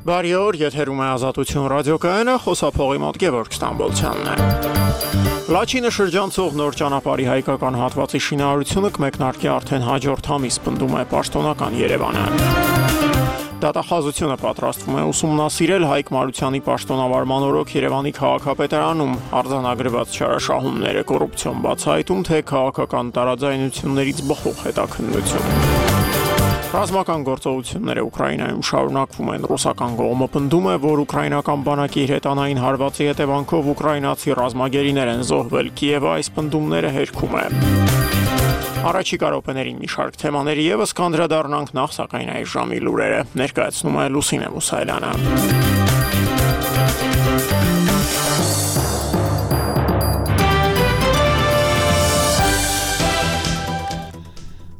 Բարի օր, եթերում է Ազատություն ռադիոկայանը, խոսափողի մոտ Գևորգ Ստամբոլցյանն է։ Լաչինը շրջանցող նոր ճանապարհի հայկական հատվածի շինարարությունը կմեկնարկի արդեն հաջորդ ամիս, պնդում է պաշտոնական Երևանը։ Դատախազությունը պատրաստվում է ուսումնասիրել Հայկ Մարությանի պաշտոնավարման օրոք Երևանի քաղաքապետարանում արձանագրված չարաշահումները, կոռուպցիոն բացահայտում, թե քաղաքական տարաձայնություններից բխող հետաքննություն։ Ռազմական գործողությունները Ուկրաինայում շարունակվում են։ Ռուսական կողմը պնդում է, որ ուկրաինական բանակի հրետանային հարվածի հետևանքով ուկրաինացի ռազմագերիներ են զոհվել։ Կիևը այս պնդումները հերքում է։ Առաջիկա րոպեներին մի շարք թեմաների ևս կանդրադառնանք, նախ սակայն այս ժամի լուրերը ներկայացնում է Լուսինե Մուսայելյանը։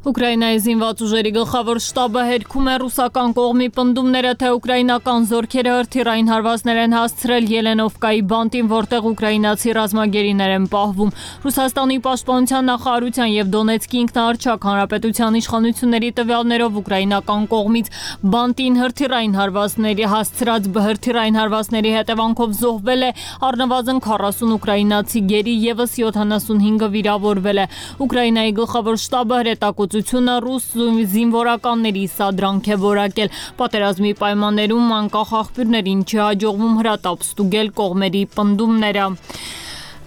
Ուկրաինայի զինված ուժերի գլխավոր շտաբը հերքում է ռուսական կողմի պնդումները, թե ուկրաինական զորքերը հրթիռային հարվածներ են հասցրել Ելենովկայի բանտին, որտեղ ուկրաինացի ռազմագերիներ են պահվում։ Ռուսաստանի պաշտպանության նախարարության եւ Դոնեցկի ինքնաառչակ հանրապետության իշխանությունների տվյալներով ուկրաինական կողմից բանտին հրթիռային հարվածների հետևանքով զոհվել է առնվազն 40 ուկրաինացի գերի, եւս 75-ը վիրավորվել է։ Ուկրաինայի գլխավոր շտաբը հրետակոծությունը ռուս զինվորականների սադրանք է որակել։ Պատերազմի պայմաններում անկախ աղբյուրներին չհաջողվում հրատապ ստուգել կողմերի պնդումները։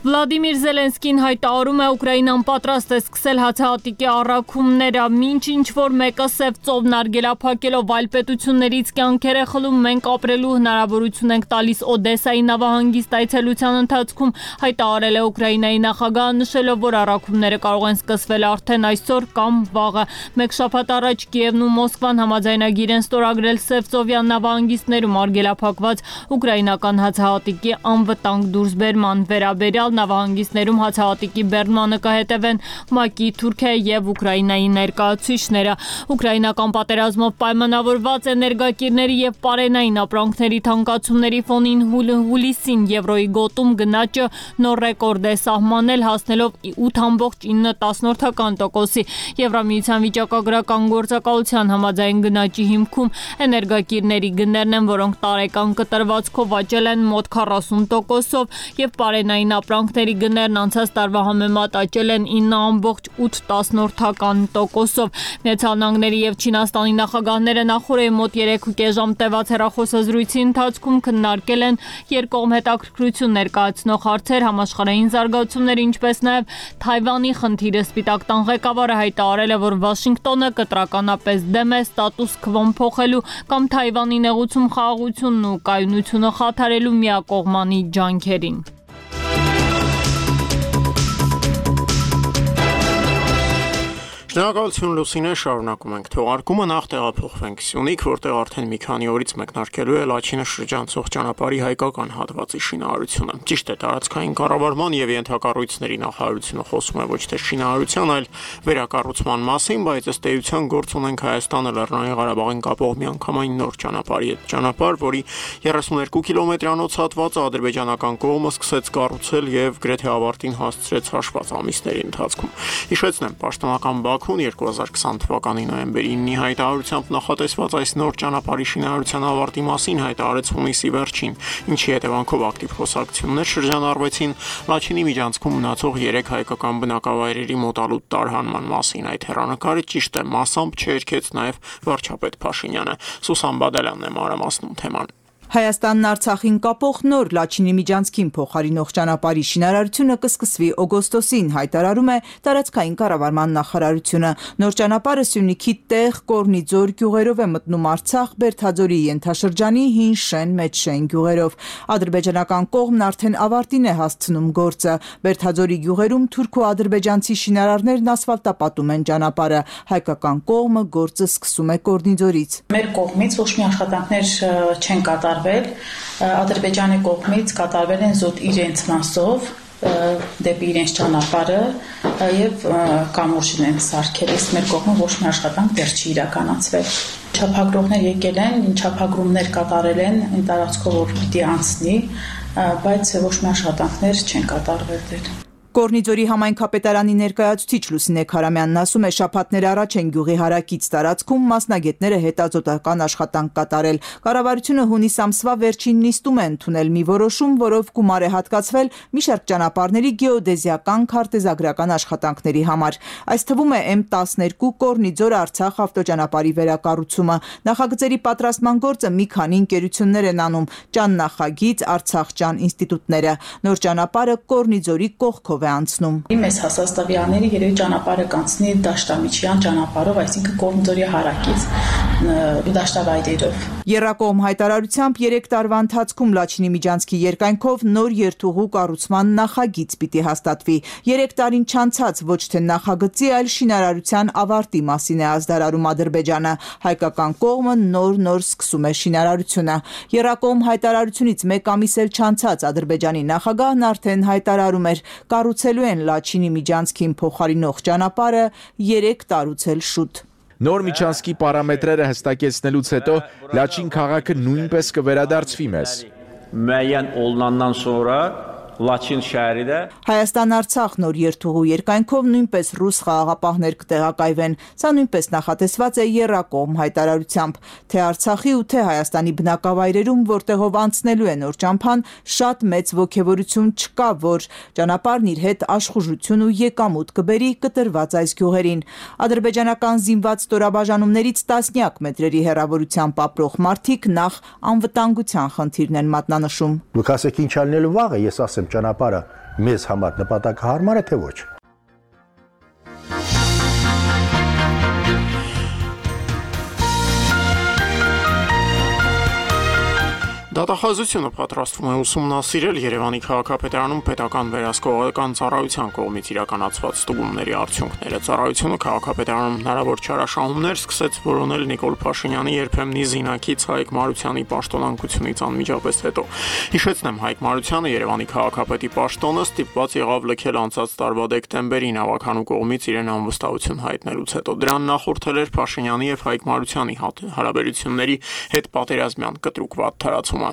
Վլադիմիր Զելենսկին հայտարարում է, Ուկրաինան պատրաստ է սկսել հացահատիկի առաքումները, մինչ ինչ-որ մեկը սև ծով նարգելափակելով այլ պետություններից կյանքեր է խլում, մենք ապրելու հնարավորություն ենք տալիս Օդեսայի նավահանգիստ այցելության ընթացքում, հայտարարել է Ուկրաինայի նախագահը, նշելով, որ առաքումները կարող են սկսվել արդեն այսօր կամ վաղը։ Մեկ շաբաթ առաջ Կիևն ու Մոսկվան համաձայնագիր են ստորագրել Սևծովյան նավահանգիստներում արգելափակված ուկրաինական հացահատիկի անվտանգ դուրսբերման վերաբերյալ նավահանգիստներում հացահատիկի բեռնմանը կհետևեն ՄԱԿ-ի, Թուրքիայի եւ Ուկրաինայի ներկայացուցիչները։ Ուկրաինական պատերազմով պայմանավորված էներգակիրների եւ պարենային ապրանքների թանկացումների ֆոնին հուլիսին եվրոյի գոտում գնաճը նոր ռեկորդ է սահմանել, հասնելով 8.9%-ի։ Եվրամիության վիճակագրական գործակալության համաձայն գնաճի հիմքում էներգակիրների գներն են, որոնք տարեկան կտրվածքով աճել են մոտ 40%-ով եւ պարենային ապրանքների գներն անցած տարվա համեմատ աճել են 9.8%-ով։ Միացյալ Նահանգների եւ Չինաստանի նախագահները նախորդի մոտ 3.5 ժամ տևած հեռախոսազրույցի ընթացքում քննարկել են երկկողմ հետաքրքրություն ներկայացնող հարցեր, համաշխարհային զարգացումներ, ինչպես նաեւ Թայվանի խնդիրը։ Սպիտակ տան ղեկավարը հայտարարել է, որ Վաշինգտոնը կտրականապես դեմ է ստատուս քվոն փոխելու կամ Թայվանի նեղուցում խաղաղությունն ու կայունությունը խաթարելու միակողմանի ջանքերին։ Շնորհակալություն Լուսինե, շարունակում ենք թողարկումը, նախ տեղափոխվենք Սյունիք, որտեղ արդեն մի քանի օրից մեկնարկելու է Լաչինը շրջանցող ճանապարհի հայկական հատվածի շինարարությունը։ Ճիշտ է, տարածքային կառավարման եւ ենթակառույցների նախարարությունը խոսում է ոչ թե շինարարության, այլ վերակառուցման մասին, բայց ըստ էության գործ ունենք Հայաստանը Լեռնային Ղարաբաղին կապող միանգամայն նոր ճանապարհի հետ։ Ճանապարհ, որի 32 կիլոմետրանոց հատվածը ադրբեջանական կողմը սկսեց կառուցել եւ գրեթե ավարտին հասցրեց հաշված ամիսների ընթացքում։ Հիշեցնեմ, պաշտոնական 2020 թվականի նոյեմբերի 9-ի հայտարարությամբ նախատեսված այս նոր ճանապարհի շինարարության ավարտի մասին հայտարարեց հունիսի վերջին, ինչի հետևանքով ակտիվ խոսակցություններ շրջանառվեցին Լաչինի միջանցքում մնացող 3 հայկական բնակավայրերի մոտալուտ տարհանման մասին։ Այդ հեռանկարը ճիշտ է, մասամբ չերքեց նաև վարչապետ Փաշինյանը։ Սուսան Բադալյանն է մանրամասնում թեման։ Հայաստանն Արցախին կապող նոր Լաչինի միջանցքին փոխարինող ճանապարհի շինարարությունը կսկսվի օգոստոսին, հայտարարում է տարածքային կառավարման նախարարությունը։ Նոր ճանապարհը Սյունիքի Տեղ, Կորնիձոր գյուղերով է մտնում Արցախ, Բերթաձորի ենթաշրջանի Հին Շեն, Մեծ Շեն գյուղերով։ Ադրբեջանական կողմն արդեն ավարտին է հասցնում գործը։ Բերթաձորի գյուղերում թուրք ու ադրբեջանցի շինարարներն ասֆալտապատում են ճանապարհը։ Հայկական կողմը գործը սկսում է Կորնիձորից։ Մեր կողմից ոչ մի աշխատանքներ չեն կատարվել, Ադրբեջանի կողմից կատարվել են զուտ իրենց մասով դեպի իրենց ճանապարհը եւ կամուրջն են սարքել, իսկ մեր կողմը ոչ մի աշխատանք դեռ չի իրականացվել։ Չափագրողներ եկել են, չափագրումներ կատարել են այն տարածքով, որ պիտի անցնի, բայց ոչ մի աշխատանքներ չեն կատարվել դեռ։ Կորնիձորի համայնքապետարանի ներկայացուցիչ Լուսինե Քարամյանն ասում է, շաբաթներ առաջ են գյուղի հարակից տարածքում մասնագետները հետազոտական աշխատանք կատարել։ Կառավարությունը հունիս ամսվա վերջին նիստում է ընդունել մի որոշում, որով գումար է հատկացվել մի շարք ճանապարհների գեոդեզիական քարտեզագրական աշխատանքների համար։ Այս թվում է M12 Կորնիձոր-Արցախ ավտոճանապարհի վերակառուցումը։ Նախագծերի պատրաստման գործը մի քանի ընկերություններ են անում՝ Ճան նախագիծ, Արցախճան ինստիտուտները։ Նոր ճանապարհը Կորնիձորի կողքով անցնում։ Մեզ հասած տվյալների երևի ճանապարհը կանցնի Դաշտամիջյան ճանապարհով, այսինքն Կորնիձորի հարակից դաշտավայրերով։ Եռակողմ հայտարարությամբ 3 տարվա ընթացքում Լաչինի Միջանցքի երկայնքով նոր երթուղու կառուցման նախագիծ պիտի հաստատվի։ 3 տարին չանցած ոչ թե նախագծի, այլ շինարարության ավարտի մասին է ազդարարում Ադրբեջանը։ Հայկական կողմը նոր սկսում է շինարարությունը։ Եռակողմ հայտարարությունից 1 ամիս էլ չանցած Ադրբեջանի նախագահն արդեն հայտարարում էր, կառուցելու են Լաչինի Միջանցքին փոխարինող ճանապարհը 3 տարուց էլ շուտ։ Նոր Միջանցքի պարամետրերը հստակեցնելուց հետո Լաչին քաղաքը նույնպես կվերադարձվի մեզ։ Müəyyən olunandan sonra Լաչին շահերիdə Հայաստան-Արցախ նոր երթուղու երկայնքով նույնպես ռուս խաղաղապահներ կտեղակայվեն։ Սա նույնպես նախատեսված է եռակողմ հայտարարությամբ, թե Արցախի ու թե Հայաստանի բնակավայրերում, որտեղով անցնելու է նոր ճամփան, շատ մեծ ոգևորություն չկա, որ ճանապարհն իր հետ աշխուժություն ու եկամուտ կբերի կտրված այս գյուղերին։ Ադրբեջանական զինված ստորաբաժանումներից տասնյակ մետրերի հեռավորությամբ ապրող մարդիկ նախ անվտանգության խնդիրն են մատնանշում։ Դուք ասեք ինչ ալնելու վաղը, ես ասեմ ճանապարհը մեզ համար նպատակահարմար է թե ոչ։ Դատախազությունը պատրաստվում է ուսումնասիրել Երևանի քաղաքապետարանում պետական վերահսկողական ծառայության կողմից իրականացված ստուգումների արդյունքները։ Ծառայությունը քաղաքապետարանում հնարավոր չարաշահումներ սկսեց որոնել Նիկոլ Փաշինյանի երբեմնի զինակից Հայկ Մարությանի պաշտոնանկությունից անմիջապես հետո։ Հիշեցնեմ, Հայկ Մարությանը Երևանի քաղաքապետի պաշտոնը ստիպված եղավ լքել անցած տարվա դեկտեմբերին ավականու կողմից իրեն անվստահություն հայտնելուց հետո։ Դրան նախորդել էր Փաշինյանի եւ Հայկ Մարությանի հարաբերությունների հետ պատերազմյան կտրուկ վատթարացումը։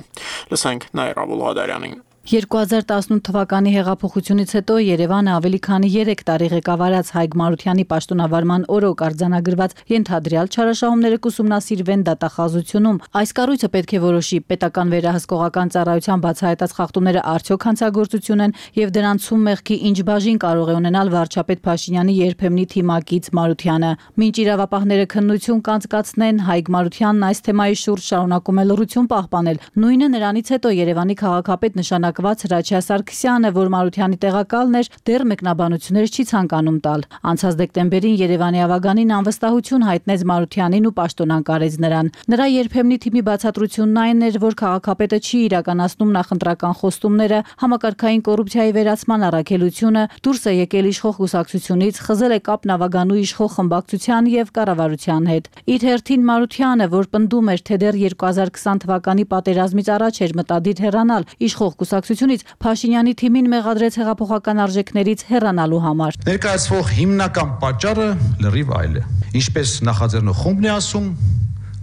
Լսենք Նաիրա Բուլղադարյանին։ 2018 թվականի հեղափոխությունից հետո Երևանը ավելի քանի 3 տարի ղեկավարած Հայկ Մարությանի պաշտոնավարման օրոք արձանագրված ենթադրյալ չարաշահումները կուսումնասիրվեն դատախազությունում։ Այս կառույցը պետք է որոշի պետական վերահսկողական ծառայության բացահայտած խախտումները արդյոք հանցագործություն են եւ դրանցում մեղքի ինչ բաժին կարող է ունենալ վարչապետ Փաշինյանի երբեմնի թիմակից Մարությանը։ Մինչ իրավապահները քննություն կանցկացնեն, Հայկ Մարությանն այս թեմայի շուրջ շարունակում է լռություն պահպանել։ Նույնը նրանից հետո Երևանի քաղաքապետ նշանակված Հրաչյա Սարգսյանը, որ Մարությանի տեղակալն էր, դեռ մեկնաբանություններ չի ցանկանում տալ։ Անցած դեկտեմբերին Երևանի ավագանին անվստահություն հայտնեց Մարությանին ու պաշտոնանկարեց նրան։ Նրա երբեմնի թիմի բացատրությունն այն էր, որ քաղաքապետը չի իրականացնում նախընտրական խոստումները, համակարգային կոռուպցիայի վերացման առաքելությունը, դուրս է եկել իշխող կուսակցությունից, խզել է կապն ավագանու իշխող խմբակցության եւ կառավարության հետ։ Իր հերթին Մարությանը, որ պնդում էր, թե դեռ 2020 թվականի պատերազմից առաջ էր մտադիր հեռանալ իշխող կուսակցությունից, Փաշինյանի թիմին մեղադրեց հեղափոխական արժեքներից հեռանալու համար։ Ներկայացվող հիմնական պատճառը լրիվ այլ է։ Ինչպես նախաձեռնող խումբն է ասում,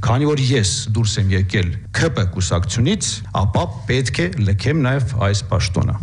քանի որ ես դուրս եմ եկել ՔՊ կուսակցությունից, ապա պետք է լքեմ նաև այս պաշտոնը։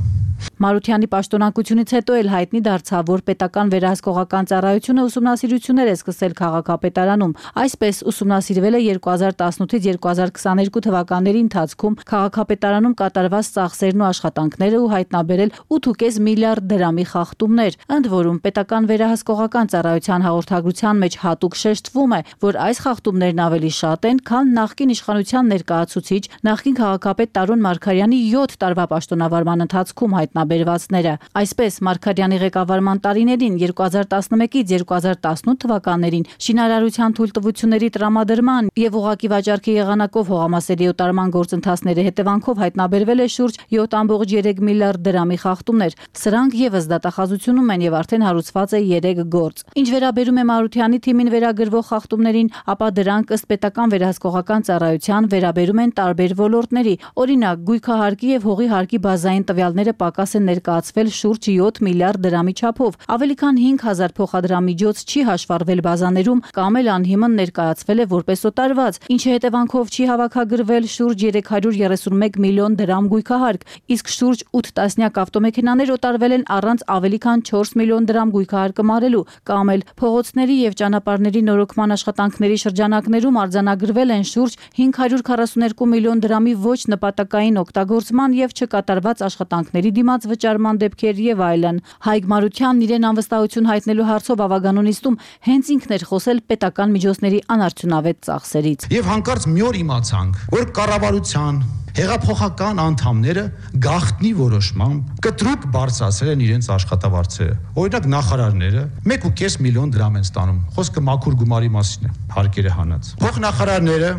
Մարությանի պաշտոնանկությունից հետո էլ հայտնի դարձավ, որ պետական վերահսկողական ծառայությունը ուսումնասիրություններ է սկսել քաղաքապետարանում։ Այսպես ուսումնասիրվել է 2018-ից 2022 թվականների ընթացքում քաղաքապետարանում կատարված ծախսերն ու աշխատանքները ու հայտնաբերել 8.5 միլիարդ դրամի խախտումներ։ Ընդ որում պետական վերահսկողական ծառայության հաղորդագրության մեջ հատուկ շեշտվում է, որ այս խախտումներն ավելի շատ են, քան նախկին իշխանության ներկայացուցիչ նախկին քաղաքապետ Տարոն Մարգարյանի 7 տարվա պաշտոնավարման ընթացքում հայտնաբերվածները։ Այսպես Մարգարյանի ղեկավարման տարիներին 2011-ից 2018 թվականներին շինարարության թույլտվությունների տրամադրման եւ ուղղակի վաճառքի եղանակով հողամասերի օտարման գործընթացների հետևանքով հայտնաբերվել է շուրջ 7.3 միլիարդ դրամի խախտումներ։ Սրանք եւս դատախազությունում են եւ արդեն հարուցված է 3 գործ։ Ինչ վերաբերում է Մարությանի թիմին վերագրվող խախտումներին, ապա դրանք ըստ պետական վերահսկողական ծառայության վերաբերում են տարբեր ոլորտների։ Օրինակ, գույքահարկի եւ հողի հարկի բազային տվյալները պակաս է ներկայացվել շուրջ 7 միլիարդ դրամի չափով։ Ավելի քան 5000 փոխադրամիջոց չի հաշվառվել բազաներում կամ էլ անհիմն ներկայացվել է որպես օտարված, ինչի հետևանքով չի հավաքագրվել շուրջ 331 միլիոն դրամ գույքահարկ, իսկ շուրջ 8 տասնյակ ավտոմեքենաներ օտարվել են առանց ավելի քան 4 միլիոն դրամ գույքահարկը մարելու, կամ էլ փողոցների եւ ճանապարհների նորոգման աշխատանքների շրջանակներում արձանագրվել են շուրջ 542 միլիոն դրամի ոչ նպատակային օգտագործման եւ չկատարված աշխատանքների դիմաց վճարման դեպքեր եւ այլն։ Հայկ Մարությանն իրեն անվստահություն հայտնելու հարցով ավագանոնիստում հենց ինքն էր խոսել պետական միջոցների անարդյունավետ ծախսերից։ Եվ հանկարծ մի օր իմացանք, որ կառավարության հեղափոխական անդամները գաղտնի որոշմամբ կտրուկ բարձրացրել են իրենց աշխատավարձերը։ Օրինակ նախարարները 1.5 միլիոն դրամ են ստանում։ Խոսքը մաքուր գումարի մասին է, հարկերը հանած։ Փոխնախարարները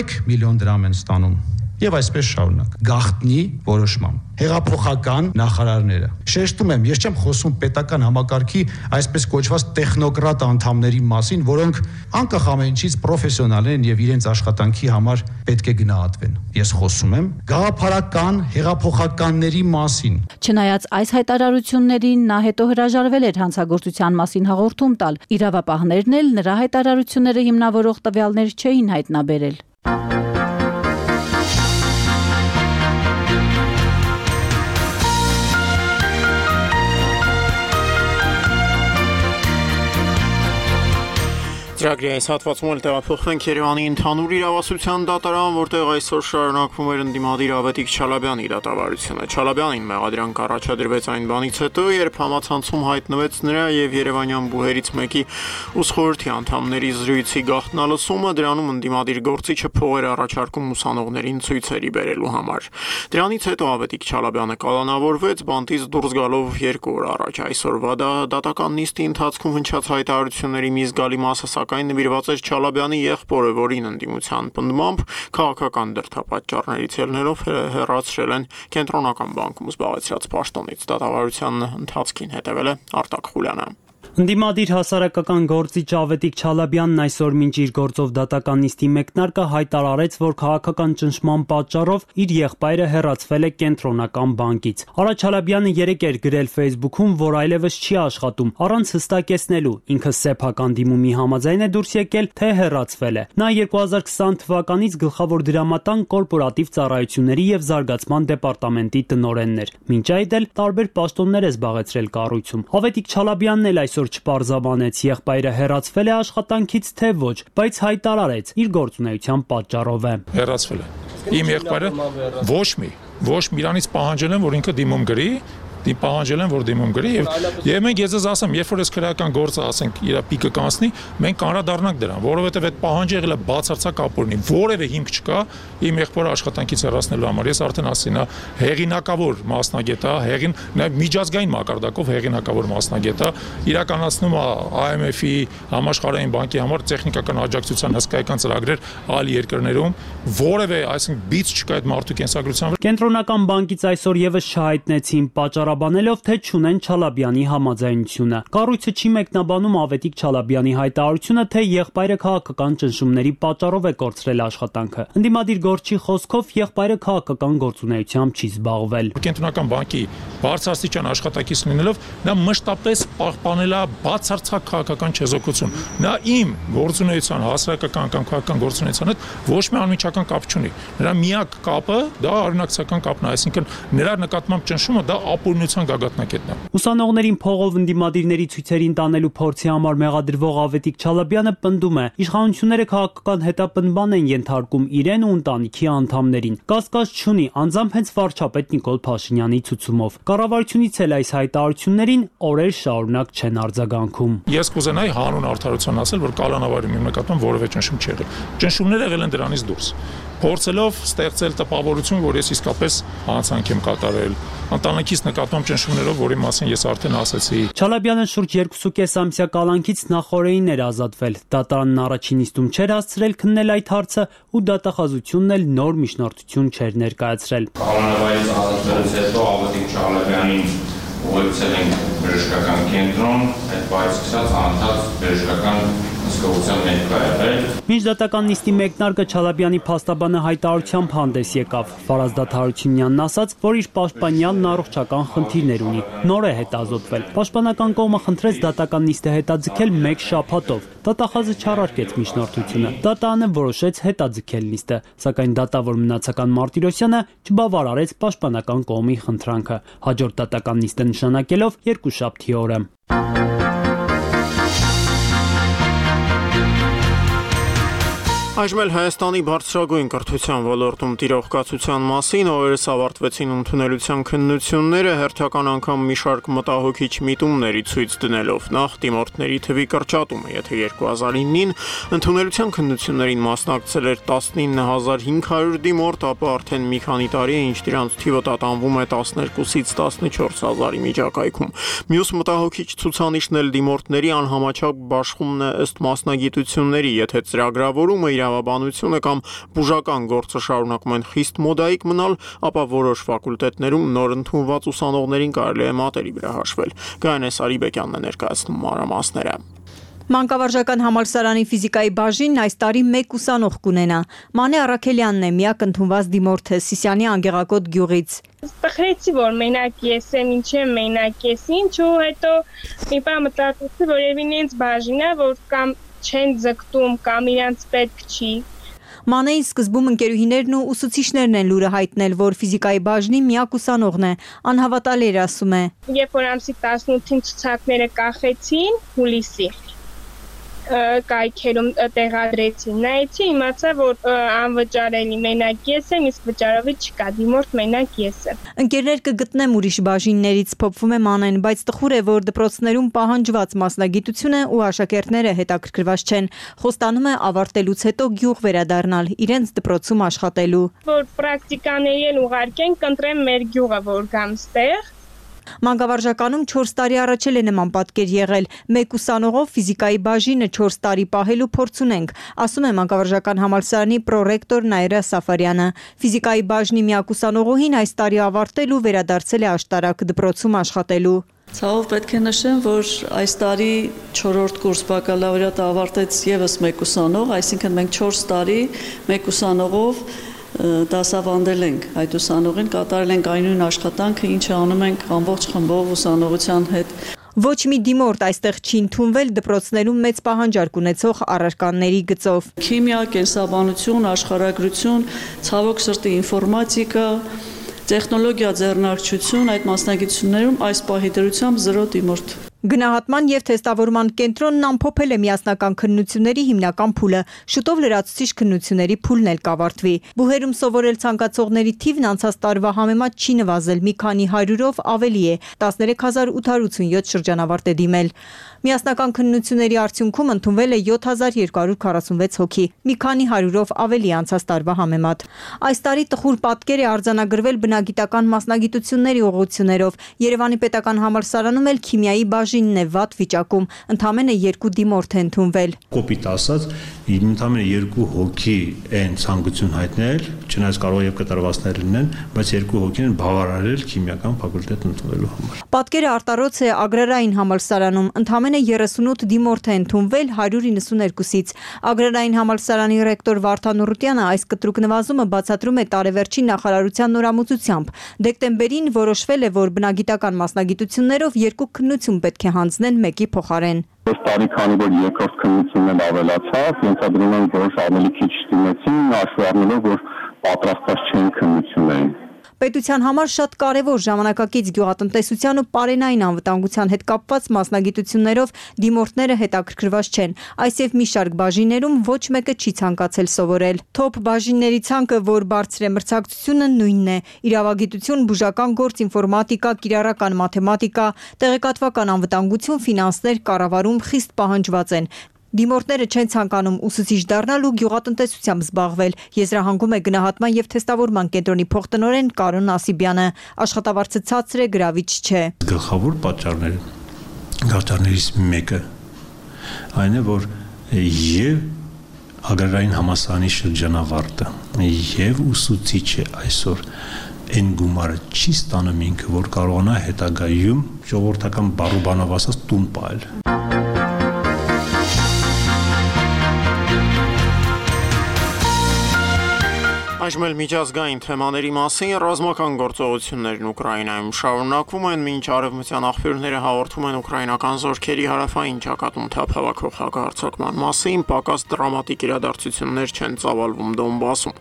1 միլիոն դրամ են ստանում։ Եվ այսպես շարունակ, գաղտնի որոշմամբ հեղափոխական նախարարները։ Շեշտում եմ, ես չեմ խոսում պետական համակարգի այսպես կոչված տեխնոկրատ անդամների մասին, որոնք անկախ ամեն ինչից պրոֆեսիոնալ են եւ իրենց աշխատանքի համար պետք է գնահատվեն։ Ես խոսում եմ գաղափարական հեղափոխականների մասին։ Չնայած այս հայտարարություններին, նա հետո հրաժարվել էր հանցագործության մասին հաղորդում տալ։ Իրավապահներն էլ նրա հայտարարությունները հիմնավորող տվյալներ չէին հայտնաբերել։ Ծրագրի այս հատվածում էլ տեղափոխվենք Երևանի ընդհանուր իրավասության դատարան, որտեղ այսօր շարունակվում էր ընդդիմադիր Ավետիք Չալաբյանի դատավարությունը։ Չալաբյանին մեղադրանք առաջադրվեց այն բանից հետո, երբ համացանցում հայտնվեց նրա եւ երևանյան բուհերից մեկի ուսխորհրդի անդամների զրույցի գաղտնալսումը, դրանում ընդդիմադիր գործիչը փողեր առաջարկում ուսանողներին ցույցերի բերելու համար։ Դրանից հետո Ավետիք Չալաբյանը կալանավորվեց, բանտից դուրս գալով 2 օր առաջ։ Այսօրվա դատական նիստի ընթացքում հնչած հայտարարությունների մի զգալի մասը սակայն նվիրված էր Չալաբյանի եղբորը, որին ընդդիմության պնդմամբ քաղաքական դրդապատճառներից ելնելով հեռացրել են կենտրոնական բանկում զբաղեցրած պաշտոնից։ Դատավարության ընթացքին հետևել է Արտակ Խուլյանը։ Ընդդիմադիր հասարակական գործիչ Ավետիք Չալաբյանն այսօր մինչ իր գործով դատական նիստի մեկնարկը հայտարարեց, որ քաղաքական ճնշման պատճառով իր եղբայրը հեռացվել է կենտրոնական բանկից։ Արա Չալաբյանը երեկ էր գրել Facebook-ում, որ այլևս չի աշխատում, առանց հստակեցնելու ինքը սեփական դիմումի համաձայն է դուրս եկել, թե հեռացվել է։ Նա 2020 թվականից գլխավոր դրամատան կորպորատիվ ծառայությունների եւ զարգացման դեպարտամենտի տնօրենն էր։ Մինչ այդ էլ տարբեր պաշտոններ է զբաղեցրել կառույցում։ Ավետիք Չալաբյանն էլ այսօր չպարզաբանեց եղբայրը հեռացվել է աշխատանքից թե ոչ, բայց հայտարարեց իր գործունեության պատճառով է։ Հեռացվել է։ Իմ եղբայրը ոչ մի իրանից պահանջել են, որ ինքը դիմում գրի, պահանջել են, որ դիմում գրի եւ մենք ես ասեմ, երբ որ այս քրեական գործը ասենք իր պիկը կանցնի, մենք կանրադառնանք դրան, որովհետեւ այդ պահանջը եղել է բացարձակ ապօրինի, որևէ հիմք չկա իմ եղբորը աշխատանքից հեռացնելու համար։ Ես արդեն ասեցի, նա հեղինակավոր մասնագետ է, միջազգային մակարդակով հեղինակավոր մասնագետ է, իրականացնում է IMF-ի, Համաշխարհային բանկի համար տեխնիկական աջակցության հսկայական ծրագրեր այլ երկրներում, որևէ, այսինքն բիծ չկա այդ մարդու կենսագրության վրա։ Կենտրոնական բանկից այսօր եւս չհայտնեցին պատճառաբանելով, թե չունեն Չալաբյանի համաձայնությունը։ Կառույցը չի մեկնաբանում Ավետիք Չալաբյանի հայտարարությունը, թե եղբայրը քաղաքական ճնշումների պատճառով է կորցրել աշխատանքը։ Ընդդիմադիր գործչի խոսքով եղբայրը քաղաքական գործունեությամբ չի զբաղվել։ Կենտրոնական բանկի բարձրաստիճան աշխատակից լինելով, նա մշտապես պահպանել է բացարձակ քաղաքական չեզոքություն։ Նա իմ գործունեության, հասարակական կամ քաղաքական գործունեության հետ ոչ մի անմիջական կապ չունի։ Նրա միակ կապը դա արյունակցական կապն է, այսինքն նրա նկատմամբ ճնշումը դա ապօրինության գագաթնակետն է։ Ուսանողներին փողով ընդդիմադիրների ցույցերին տանելու փորձի համար մեղադրվող Ավետիք Չալաբյանը պնդում է, իշխանությունները քաղաքական հետապնդման են ենթարկում իրեն ու ընտանիքի անդամներին։ Կասկած չունի, անձամբ հենց վարչապետ Նիկոլ Փաշինյանի ցուցումով։ Կառավարությունից էլ այս հայտարարություններին օրեր շարունակ չեն արձագանքում։ Ես կուզենայի հանուն արդարության ասել, որ կալանավարի մի նկատմամբ որևէ ճնշում չի եղել։ Ճնշումները եղել են դրանից դուրս։ Փորձելով ստեղծել տպավորություն, որ ես իսկապես հանցանք եմ կատարել, ընտանիքիս նկատմամբ ճնշումներով, որի մասին ես արդեն ասացի։ Չալաբյանը շուրջ 2.5 ամսյա կալանքից նախորդին էր ազատվել։ Դատարանն առաջին նիստում չէր հասցրել քննել այդ հարցը ու դատախազությունն էլ նոր միջնորդություն չէր ներկայացրել։ Կալանավարից ազատվելուց հետո Ավետիք Չալաբյանին ուղեկցել ենք բժշկական կենտրոն, այդ բայից սկսած անընդհատ բժշկական հսկողության ներկա եղել։ Մինչ դատական նիստի մեկնարկը Չալաբյանի փաստաբանը հայտարարությամբ հանդես եկավ։ Ֆարազ Դադարությունյանն ասաց, որ իր պաշտպանյանն առողջական խնդիրներ ունի, նոր է հետազոտվել։ Պաշտպանական կողմը խնդրեց դատական նիստը հետաձգել 1 շաբաթով։ Դատախազը չարարկեց միջնորդությունը։ Դատանը որոշեց հետաձգել նիստը, սակայն դատավոր Մնացական Մարտիրոսյանը չբավարարեց պաշտպանական կողմի խնդրանքը, հաջորդ դատական նիստը նշանակելով երկուշաբթի օրը։ Այժմ էլ Հայաստանի բարձրագույն կրթության ոլորտում տիրող կացության մասին օրերս ավարտվեցին ընդունելության քննությունները հերթական անգամ մի շարք մտահոգիչ միտումների ցույց դնելով նախ դիմորդների թվի կրճատումը, եթե 2009-ին ընդունելության քննություններին մասնակցել էր 19500 դիմորդ, ապա արդեն մի քանի տարի է ինչ դրանց թիվը տատանվում է 12-ից 14000-ի միջակայքում։ Մյուս մտահոգիչ ցուցանիշն էլ դիմորդների անհամաչափ բաշխումն է ըստ մասնագիտությունների, եթե ծրագրավորումը իրավաբանությունը կամ բուժական գործը շարունակում են խիստ մոդայիկ մնալ, ապա որոշ ֆակուլտետներում նոր ընդունված ուսանողներին կարելի է մատերի վրա հաշվել։ Գայանե Սարիբեկյանն է ներկայացնում մանրամասները։ Մանկավարժական համալսարանի ֆիզիկայի բաժինն այս տարի 1 ուսանող կունենա։ Մանե Առաքելյանն է միակ ընդունված դիմորդը Սիսիանի Անգեղակոտ գյուղից։ Տխրեցի, որ մենակ ես եմ, ինչ եմ մենակ ես, ինչ ու հետո մի բան մտածեցի, որ երևի ինձ բաժին է, որ կամ չեն ձգտում կամ իրանց պետք չի։ Մանեի սկզբում ընկերուհիներն ու ուսուցիչներն են լուրը հայտնել, որ ֆիզիկայի բաժնի միակ ուսանողն է, անհավատալի էր ասում է։ Երբ որ ամսի 18-ին ցուցակները կախեցին հուլիսի կայքերում տեղադրեցին, նայեցի, իմացա, որ անվճարելի մենակ ես եմ, իսկ վճարովի չկա, դիմորդ մենակ ես եմ։ Ընկերներ կգտնեմ ուրիշ բաժիններից, փոփվում է Մանեն, բայց տխուր է, որ դպրոցներում պահանջված մասնագիտությունը ու աշակերտները հետաքրքրված չեն։ Խոստանում է ավարտելուց հետո գյուղ վերադառնալ, իրենց դպրոցում աշխատելու։ Որ պրակտիկաների էլ ուղարկեն, կընտրեմ մեր գյուղը, որ գամ ստեղ։ Մանկավարժականում 4 տարի առաջ էլ է նման պատկեր եղել։ 1 ուսանողով ֆիզիկայի բաժինը 4 տարի պահելու փորձ ունենք, ասում է մանկավարժական համալսարանի պրոռեկտոր Նայրա Սաֆարյանը։ Ֆիզիկայի բաժնի միակ ուսանողուհին այս տարի ավարտել ու վերադարձել է աշտարակ դպրոցում աշխատելու։ Ցավով պետք է նշեմ, որ այս տարի 4-րդ կուրս բակալավրիատը ավարտեց եւս 1 ուսանող, այսինքն մենք 4 տարի 1 ուսանողով դասավանդել ենք այդ ուսանողին, կատարել ենք այն նույն աշխատանքը, ինչը անում ենք ամբողջ խմբով ուսանողության հետ։ Ոչ մի դիմորդ այստեղ չի ընդունվել դպրոցներում մեծ պահանջարկ ունեցող առարկաների գծով։ Քիմիա, կենսաբանություն, աշխարհագրություն, ցավոք սրտի ինֆորմատիկա, տեխնոլոգիա, ձեռնարկչություն, այդ մասնագիտություններում այս պահի դրությամբ 0 դիմորդ։ Գնահատման եւ թեստավորման կենտրոնն ամփոփել է միասնական քննությունների հիմնական փուլը, շուտով լրացուցիչ քննությունների փուլն էլ կավարտվի։ Բուհերում սովորել ցանկացողների թիվն անցած տարվա համեմատ չի նվազել, մի քանի 100-ով ավելի է, 13887 շրջանավարտ է դիմել։ Միասնական քննությունների արդյունքում ընդունվել է 7246 հոգի, մի քանի 100-ով ավելի անցած տարվա համեմատ։ Այս տարի տխուր պատկեր է արձանագրվել բնագիտական մասնագիտությունների ուղղություններով։ Երևանի պետական համալսարանում էլ քիմիայի բաժինն է վատ վիճակում, ընդամենը 2 դիմորդ է ընդունվել։ Կոպիտ ասած, ընդամենը 2 հոգի են ցանկություն հայտնել, չնայած կարող եւ կտրվածներ լինեն, բայց 2 հոգին են բավարարել քիմիական ֆակուլտետ ընդունելու համար։ Պատկերը արտարոց է Ագրարային համալսարանում, ընդամենը 38 դիմորդ է ընդունվել 192-ից։ Ագրարային համալսարանի ռեկտոր Վարդան Ուռուտյանը այս կտրուկ նվազումը բացատրում է տարեվերջին նախարարության նորամուծությամբ։ Դեկտեմբերին որոշվել է, որ բնագիտական մասնագիտություններով 2 քննություն պետք է հանձնեն 1-ի փոխարեն։ Այս տարի քանի որ երկրորդ քննությունն ավելացավ, ենթադրում եմ, որ ավելի քիչ դիմեցին, հաշվի առնելով, որ պատրաստված չէին քննություններին։ Պետության համար շատ կարևոր ժամանակակից գյուղատնտեսության ու պարենային անվտանգության հետ կապված մասնագիտություններով դիմորդները հետաքրքրված չեն։ Այս եւ մի շարք բաժիններում ոչ մեկը չի ցանկացել սովորել։ Թոփ բաժինների ցանկը, որ բարձր է մրցակցությունը, նույնն է։ Իրավագիտություն, բուժական գործ, ինֆորմատիկա, կիրառական մաթեմատիկա, տեղեկատվական անվտանգություն, ֆինանսներ, կառավարում խիստ պահանջված են։ Դիմորդները չեն ցանկանում ուսուցիչ դառնալ ու գյուղատնտեսությամբ զբաղվել, եզրահանգում է գնահատման եւ թեստավորման կենտրոնի փոխտնօրեն Կարոն Ասիբյանը։ Աշխատավարձը ցածր է, գրավիչ չէ։ Գլխավոր պատճառներից մեկը այն է, որ եւ Ագրարային համալսարանի շրջանավարտը եւ ուսուցիչը այսօր այն գումարը չի ստանում ինքը, որ կարողանա հետագայում ժողովրդական բառուբանով ասած տուն պահել։ Այժմ էլ միջազգային թեմաների մասին ռազմական գործողություններն Ուկրաինայում շարունակվում են, մինչ արևմտյան աղբյուրները հաղորդում են ուկրաինական զորքերի հարավային ճակատում թափավակող հակահարձակման մասին, պակաս դրամատիկ իրադարձություններ չեն ծավալվում Դոնբասում։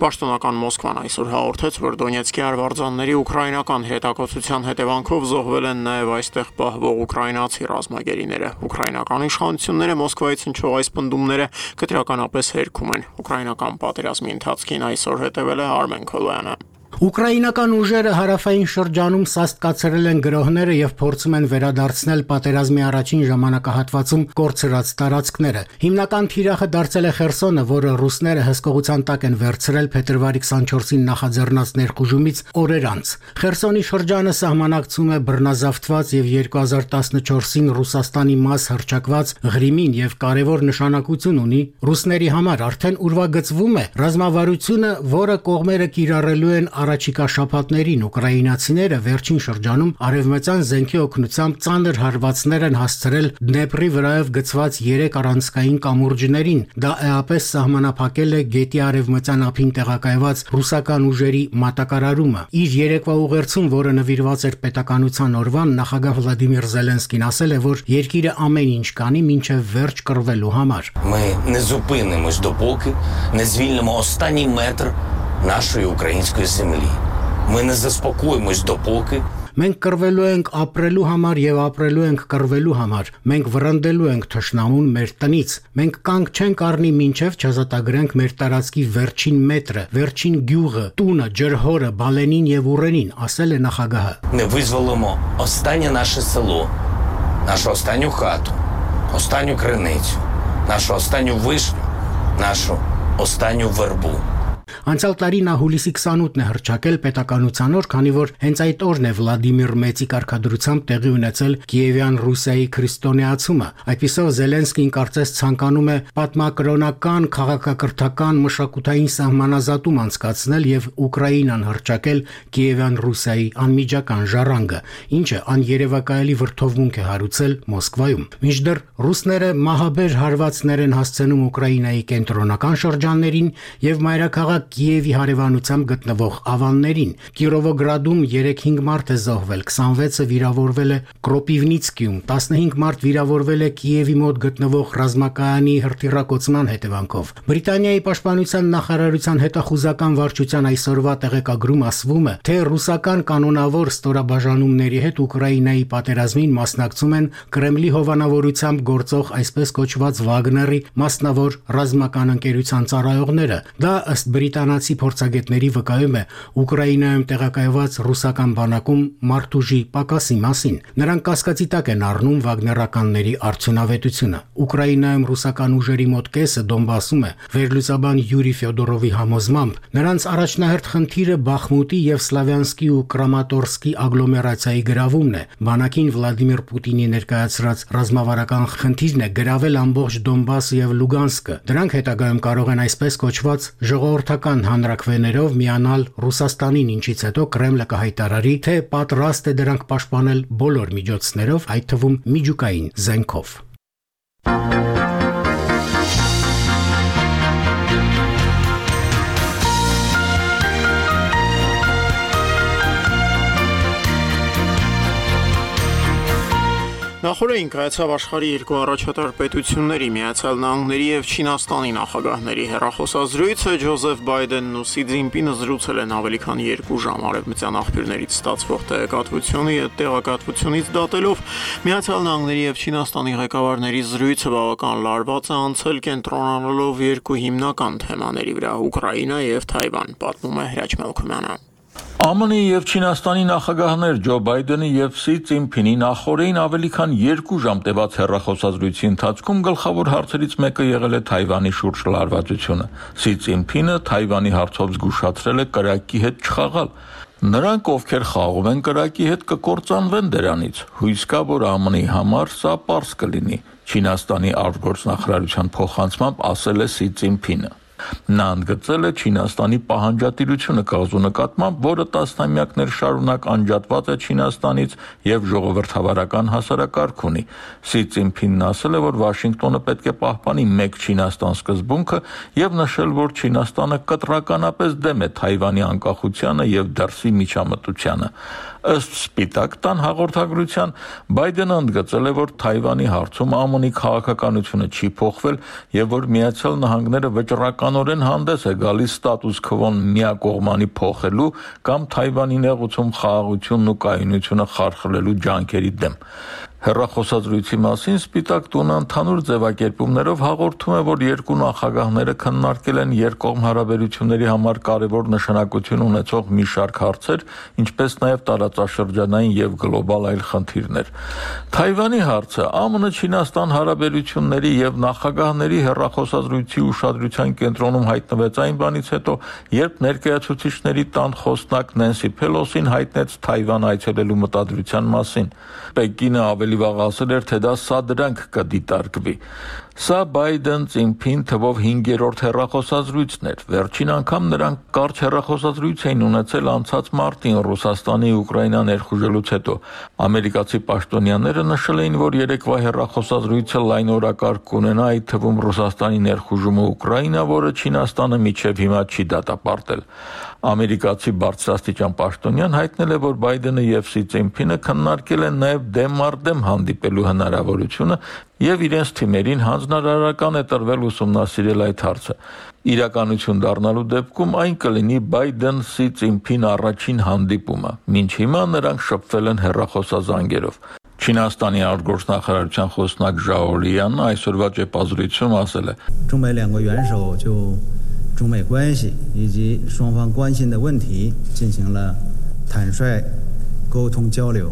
Պաշտոնական Մոսկվան այսօր հաղորդեց, որ Դոնեցկի արվարձանների ուկրաինական հետակոծության հետևանքով զոհվել են նաև այստեղ պահվող ուկրաինացի ռազմագերիները։ Ուկրաինական իշխանությունները Մոսկվայից հնչող այս պնդումները կտրականապես հերքում են։ Ուկրաինական պատերազմի ընթացքին այսօր հետևել է Արմեն Քոլոյանը։ Ուկրաինական ուժերը հարավային շրջանում սաստկացրել են գրոհները եւ փորձում են վերադարձնել պատերազմի առաջին ժամանակահատվածում կորցրած տարածքները։ Հիմնական թիրախը դարձել է Խերսոնը, որը ռուսները հսկողության տակ են վերցրել փետրվարի 24-ին նախաձեռնած ներխուժումից օրեր անց։ Խերսոնի շրջանը սահմանակցում է բռնազավթված եւ 2014-ին Ռուսաստանի մաս հռչակված Ղրիմին եւ կարևոր նշանակություն ունի ռուսների համար։ Արդեն ուրվագծվում է ռազմավարությունը, որը կողմերը կիրառելու են առաջիկա շաբաթներին ուկրաինացիները վերջին շրջանում արևմտյան զենքի օգնությամբ ծանր հարվածներ են հասցրել Դնեպրի վրայով գծված 3 առանցքային կամուրջներին։ Դա էապես սահմանափակել է գետի արևմտյան ափին տեղակայված ռուսական ուժերի մատակարարումը։ Իր երեկվա ուղերձում, որը նվիրված էր պետականության օրվան, նախագահ Վլադիմիր Զելենսկին ասել է, որ երկիրը ամեն ինչ կանի մինչև վերջ կռվելու համար։ Ми не зупинимось допоки не звільнимо останній метр нашої української землі. Ми не заспокоїмось допоки Մենք կռվելու ենք ապրելու համար եւ ապրելու ենք կռվելու համար։ Մենք վրընդելու ենք թշնամուն մեր տնից։ Մենք կանգ չենք առնի մինչև չազատագրենք մեր տարածքի վերջին մետրը, վերջին գյուղը, տունը, ջրհորը, բալենին եւ ուռենին, ասել է նախագահը։ Не визволимо останнє наше село, нашу останню хату, останню криницю, нашу останню вишню, нашу останню вербу. Անցյալ տարի նա հուլիսի 28-ն է հռչակել պետականության օր, քանի որ հենց այդ օրն է Վլադիմիր Մեծի կարգադրությամբ տեղի ունեցել Կիևյան Ռուսիայի քրիստոնեացումը։ Այդպիսով Զելենսկին կարծես ցանկանում է պատմակրոնական, քաղաքակրթական, մշակութային սահմանազատում անցկացնել եւ Ուկրաինան հռչակել Կիևյան Ռուսիայի անմիջական ժառանգը, ինչը աներևակայելի վրդովմունք է հարուցել Մոսկվայում։ Մինչդեռ ռուսները մահաբեր հարվածներ են հասցնում Ուկրաինայի կենտրոնական շրջաններին եւ մայրաքաղաք Կիևի հարևանությամբ գտնվող ավաններին։ Կիրովոգրադում 3-5 մարդ է զոհվել, 26-ը վիրավորվել է Կրոպիվնիցկիում, 15 մարդ վիրավորվել է Կիևի մոտ գտնվող ռազմակայանի հրթիռակոծման հետևանքով։ Բրիտանիայի պաշտպանության նախարարության հետախուզական վարչության այսօրվա տեղեկագրում ասվում է, թե ռուսական կանոնավոր ստորաբաժանումների հետ Ուկրաինայի պատերազմին մասնակցում են Կրեմլի հովանավորությամբ գործող այսպես կոչված Վագների մասնավոր ռազմական ընկերության ծառայողները։ Դա ըստ բրիտանացի փորձագետների վկայում է Ուկրաինայում տեղակայված ռուսական բանակում մարդուժի պակասի մասին։ Նրանք կասկածի տակ են առնում վագներականների արդյունավետությունը։ Ուկրաինայում ռուսական ուժերի մոտ կեսը Դոնբասում է։ Վերլուծաբան Յուրի Ֆյոդորովի համոզմամբ նրանց առաջնահերթ խնդիրը Բախմուտի եւ Սլավյանսկի ու Կրամատորսկի ագլոմերացիայի գրավումն է։ Բանակին Վլադիմիր Պուտինի ներկայացրած ռազմավարական խնդիրն է գրավել ամբողջ Դոնբասը եւ Լուգանսկը։ Դրանք հետագայում կարող են այսպես կոչված ժողովրդական հանրաքվեներով միանալ Ռուսաստանին, ինչից հետո Կրեմլը կհայտարարի, թե պատրաստ է դրանք պաշտպանել բոլոր միջոցներով, այդ թվում միջուկային զենքով։ Նախորդին կայացավ աշխարհի երկու առաջատար պետությունների Միացյալ Նահանգների եւ Չինաստանի նախագահների հեռախոսազրույցը։ Ջոզեֆ Բայդենն ու Սի Ցզինպինը զրուցել են ավելի քան 2 ժամ արևմտյան աղբյուրներից ստացվող տեղեկատվությունից դատելով Միացյալ Նահանգների եւ Չինաստանի ղեկավարների զրույցը բավական լարված է անցել կենտրոնանալով երկու հիմնական թեմաների վրա՝ Ուկրաինա եւ Թայվան, պատմում է Հրաչ Մելքումյանը։ ԱՄՆ-ի եւ Չինաստանի նախագահներ Ջո Բայդենի եւ Սի Ցզինպինի նախորդին ավելի քան 2 ժամ տևած հեռախոսազրույցի ընթացքում գլխավոր հարցերից մեկը եղել է Թայվանի շուրջ լարվածությունը։ Սի Ցզինպինը Թայվանի հարցով զգուշացրել է կրակի հետ չխաղալ։ Նրանք, ովքեր խաղում են կրակի հետ, կկործանվեն դրանից։ Հույս կա, որ ԱՄՆ-ի համար սա պարզ կլինի, Չինաստանի արտգործնախարարության փոխանցմամբ ասել է Սի Ցզինպինը։ Նա ընդգծել է Չինաստանի պահանջատիրությունը կղզու նկատմամբ, որը տասնամյակներ շարունակ անջատված է Չինաստանից եւ ժողովրդավարական հասարակարգ ունի։ Սի Ցինփինն ասել է, որ Վաշինգտոնը պետք է պահպանի մեկ Չինաստան սկզբունքը եւ նշել, որ Չինաստանը կտրականապես դեմ է Թայվանի անկախությանը եւ դրսի միջամտությանը։ Ըստ Սպիտակ տան հաղորդագրության Բայդենը ընդգծել է, որ Թայվանի հարցում ԱՄՆ-ի քաղաքականությունը չի փոխվել եւ որ Միացյալ Նահանգները վճռականորեն հանդես է գալիս ստատուս քվոն միակողմանի փոխելու կամ Թայվանի նեղուցում խաղաղությունն ու կայունությունը խարխլելու ջանքերի դեմ։ Հեռախոսազրույցի մասին Սպիտակ տունը ընդհանուր ձևակերպումներով հաղորդում է, որ երկու նախագահները քննարկել են երկկողմ հարաբերությունների համար կարևոր նշանակություն ունեցող մի շարք հարցեր, ինչպես նաև տարածաշրջանային եւ գլոբալ այլ խնդիրներ։ Թայվանի հարցը ԱՄՆ-Չինաստան հարաբերությունների եւ նախագահների հեռախոսազրույցի ուշադրության կենտրոնում հայտնվեց այն բանից հետո, երբ ներկայացուցիչների տան խոսնակ Նենսի Փելոսին հայտնեց Թայվան այցելելու մտադրության մասին։ Պեկինը ավելի վաղ ասել էր, թե դա սադրանք կդիտարկվի։ Սա Բայդեն-Ցինփին թվով 5-րդ հեռախոսազրույցն էր։ Վերջին անգամ նրանք կարճ հեռախոսազրույց էին ունեցել անցած մարտին Ռուսաստանի Ուկրաինա ներխուժելուց հետո։ Ամերիկացի պաշտոնյաները նշել էին, որ երեկվա հեռախոսազրույցը լայն օրակարգ կունենա, այդ թվում Ռուսաստանի ներխուժումը Ուկրաինա, որը Չինաստանը մինչև հիմա չի դատապարտել։ Ամերիկացի բարձրաստիճան պաշտոնյան հայտնել է, որ Բայդենը եւ Սի Ցինփինը քննարկել են նաեւ դեմ առ դեմ հանդիպելու հնարավորությունը եւ իրենց թիմերին հանձնարարական է տրվել ուսումնասիրել այդ հարցը։ Իրականություն դառնալու դեպքում այն կլինի Բայդեն-Սի Ցինփին առաջին հանդիպումը։ Մինչ հիմա նրանք շփվել են հեռախոսազանգերով։ Չինաստանի արտգործնախարարության խոսնակ Ժաո Լիանն այսօրվա ճեպազրույցում ասել է. 中美关系以及双方关心的问题进行了坦率沟通交流。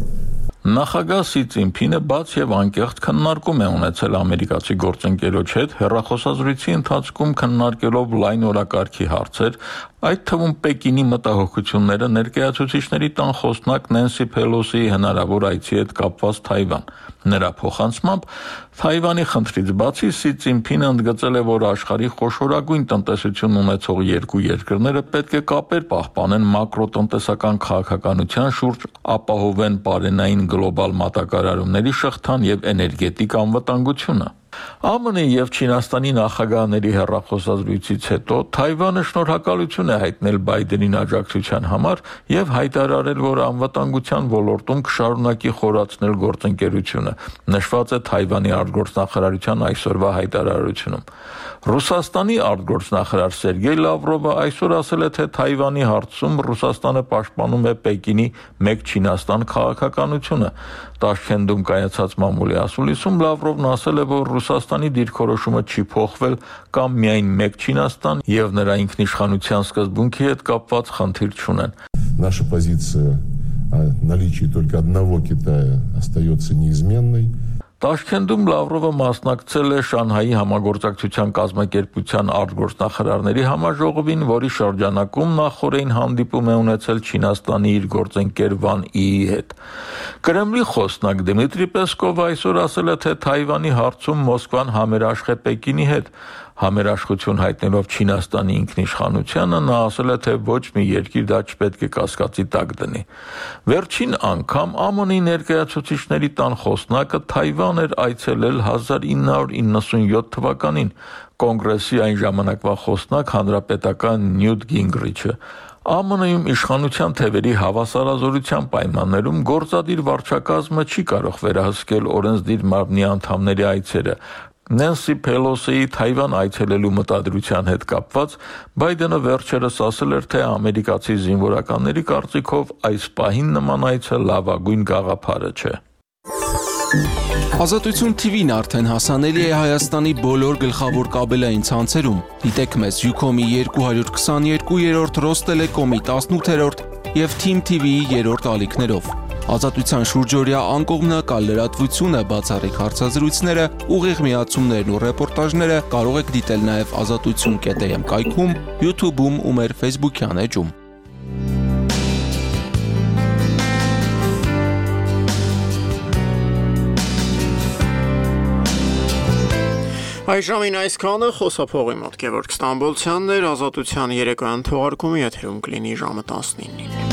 Նախագահ Սի Ցինփինը բաց եւ անկեղծ քննարկում է ունեցել ամերիկացի գործընկերոջ հետ հեռախոսազրույցի ընթացքում քննարկելով լայն օրակարգի հարցեր, այդ թվում Պեկինի մտահոգությունները ներկայացուցիչների տան խոսնակ Նենսի Փելոսիի հնարավոր այցի հետ կապված Թայվան։ Նրա փոխանցմամբ Թայվանի խնդրից բացի Սի Ցինփինը ընդգծել է, որ աշխարհի խոշորագույն տնտեսություն ունեցող երկու երկրները պետք է կապեր պահպանեն մակրոտնտեսական քաղաքականության շուրջ, ապահովեն բարենային գլոբալ մատակարարումների շղթան եւ էներգետիկ անվտանգությունը։ ԱՄՆ-ի եւ Չինաստանի նախագահների հեռախոսազրույցից հետո Թայվանը շնորհակալություն է հայտնել Բայդենին աջակցության համար եւ հայտարարել, որ անվտանգության ոլորտում կշարունակի խորացնել գործընկերությունը։ Նշված է Թայվանի արտգործնախարարության այսօրվա հայտարարությունում։ Ռուսաստանի արտգործնախարար Սերգեյ Լավրովը այսօր ասել է, թե Թայվանի հարցում Ռուսաստանը պաշտպանում է Պեկինի մեկ Չինաստան քաղաքականությունը։ Տաշքենդում կայացած մամուլի ասուլիսում Լավրովն ասել է, որ Ռուսաստանի դիրքորոշումը չի փոխվել կամ միայն մեկ Չինաստան եւ նրա ինքնիշխանության սկզբունքի հետ կապված խնդիր չունեն։ Наша позиция о наличии только одного Китая остается неизменной. Տաշքենդում Լավրովը մասնակցել է Շանհայի համագործակցության կազմակերպության արտգործնախարարների համաժողովին, որի շրջանակում նախորդին հանդիպում է ունեցել Չինաստանի իր գործընկեր Վան Իի հետ։ Կրեմլի խոսնակ Դմիտրի Պեսկովը այսօր ասել է, թե Թայվանի հարցում Մոսկվան համերաշխ է Պեկինի հետ։ Համերաշխություն հայտնելով Չինաստանի ինքնիշխանությանը, նա ասել է, թե ոչ մի երկիր դա չպետք է կասկածի տակ դնի։ Վերջին անգամ ԱՄՆ-ի ներկայացուցիչների տան խոսնակը Թայվան էր այցելել 1997 թվականին, կոնգրեսի այն ժամանակվա խոսնակ հանրապետական Նյուտ Գինգրիչը։ ԱՄՆ-ում իշխանության թևերի հավասարազորության պայմաններում գործադիր վարչակազմը չի կարող վերահսկել օրենսդիր մարմնի անդամների այցերը։ Նենսի Փելոսիի Թայվան այցելելու մտադրության հետ կապված Բայդենը վերջերս ասել էր, թե ամերիկացի զինվորականների կարծիքով այս պահին նման այցը լավագույն գաղափարը չէ։ Ազատություն TV-ն արդեն հասանելի է Հայաստանի բոլոր գլխավոր կաբելային ցանցերում։ Դիտեք մեզ Ucom-ի 222-րդ, Ռոստելեկոմի 18-րդ եւ Team TV-ի 3-րդ ալիքներով։ Ազատության շուրջօրյա անկողմնակալ լրատվությունը, բացառիկ հարցազրույցները, ուղիղ միացումներն ու ռեպորտաժները կարող եք դիտել նաև azatutsun.am կայքում, YouTube-ում ու մեր Facebook-յան էջում։ Այժմին այսքանը խոսափողի մոտ Գևորգ Ստամբոլցյանն էր, Ազատության երեկոյան թողարկումը եթերում կլինի ժամը 19-ին։